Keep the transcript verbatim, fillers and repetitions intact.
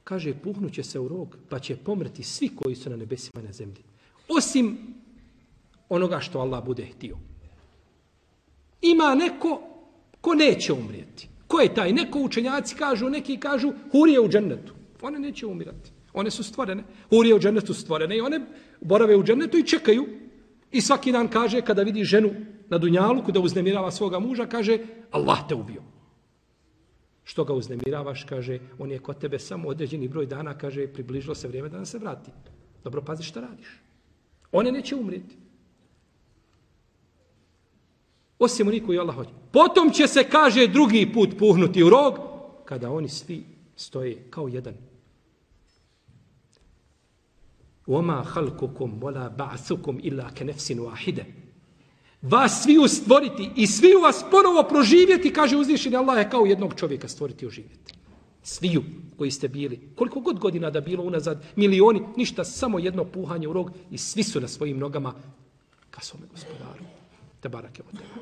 Kaže, puhnuće se u rog, pa će pomrti svi koji su na nebesima i na zemlji. Osim onoga što Allah bude htio. Ima neko ko neće umrijeti. Ko je taj? Neko učenjaci kažu, neki kažu, hurije u džennetu. One neće umirati. One su stvorene. Hurije u džennetu su stvorene i one borave u džennetu i čekaju. I svaki dan kaže, kada vidi ženu na dunjaluku da uznemirava svoga muža, kaže, Allah te ubio. Što ga uznemiravaš, kaže, on je kod tebe samo određeni broj dana, kaže, približilo se vrijeme da nam se vrati. Dobro, pazi šta radiš. One neće umrijeti. Osim oni koji Allah hoće. Potom će se, kaže, drugi put puhnuti u rog, kada oni svi stoje kao jedan. وَمَا خَلْقُكُمْ وَلَا بَعْثُكُمْ إِلَّا كَنَفْسٍ وَاحِدَ. Vas svi stvoriti i svi vas ponovo proživjeti, kaže uzvišeni Allah, je kao jednog čovjeka stvoriti i oživjeti. Sviju koji ste bili, koliko god godina da bilo unazad, milioni, ništa, samo jedno puhanje u rog i svi su na svojim nogama ka svome gospodaru. Te barake od tebe.